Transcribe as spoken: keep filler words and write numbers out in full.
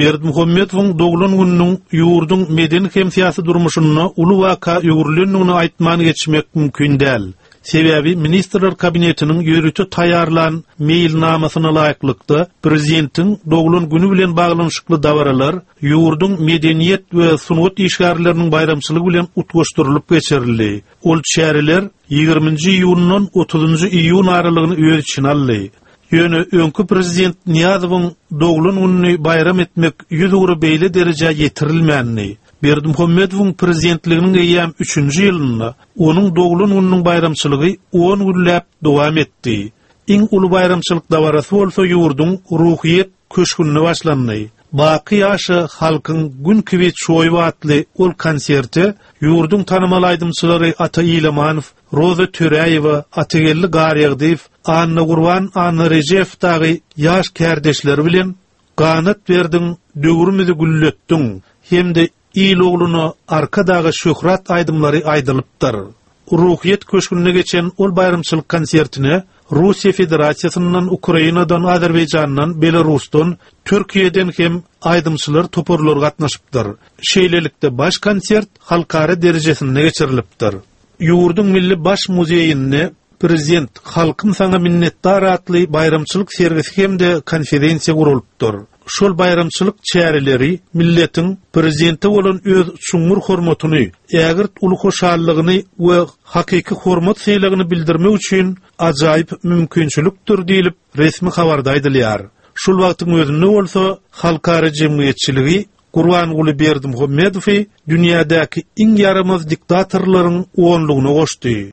Berdimuhamedowyň doglan gününiň ýurduň medeni hem syýasy durmuşynda uly waka öwrülendigini aýtman geçmek mümkin däl. Sebäbi Ministrler Kabinetiniň ýörite taýýarlan meýilnamasyna laýyklykda prezidentiň doglan güni bilen baglanyşykly dabaralar ýurduň medeniýet we sungat işgärleriniň baýramçylygy bilen utgaşdyrylyp geçirildi. Ol çäreler ýigriminji iýundan otuzynjy iýun aralygyny öz içine aldy. Ýöne öňki prezident Nyýazowyň doglan gününi baýram etmek ýüzugra beýle derejä ýetirilmändi. Berdimuhamedowyň prezidentliginiň eýýäm üçünji ýylynda onuň doglan gününiň baýramçylygy on günläp dowam etdi. Iň uly baýramçylyk dabarasy bolsa ýurduň Ruhyýet köşgünde başlandy. Baky ýaşa halkyň gün kibi çoýup atly ol konserte ýurduň tanymal aýdymçylary Ata Ilamanow, Roza Töräýewa, Atageldi Garýagdyýew, Annagurban Annarejepow dagy ýaş kärdeşleri bilen Ganat berdiň, döwrümizi gülletdiň hem-de il ogluna Arkadaga şöhrat aýdymlary aýdylypdyr. Ruhyýet köşgünde geçen ol baýramçylyk konsertine Russiýa Federasiýasyndan, Ukrainadan, Azerbaýjandan, Belarusdan, Türkiýeden hem aýdymçylar toparlary gatnaşypdyr. Şeýlelikde baş konsert halkara derejesinde geçirilipdir. Ýurduň Milli baş muzeýinde Prezident Halkym saňa minnetdar atly baýramçylyk sergisi hem-de konferensiýa guralypdyr. Şol baýramçylyk çäreleri milletiň prezidente bolan öz çuňňur hormatyny, ägirt uly hoşallygyny we hakyky hormat sylagyny bildirmek üçin ajaýyp mümkinçilikdir diýlip, resmi habarda aýdylýar. Şol wagtyň özünde bolsa halkara jemgyýetçiligi Gurbanguly Berdimuhamedowy dünýädäki iň ýaramaz diktatorlaryň onlugyna goşdy.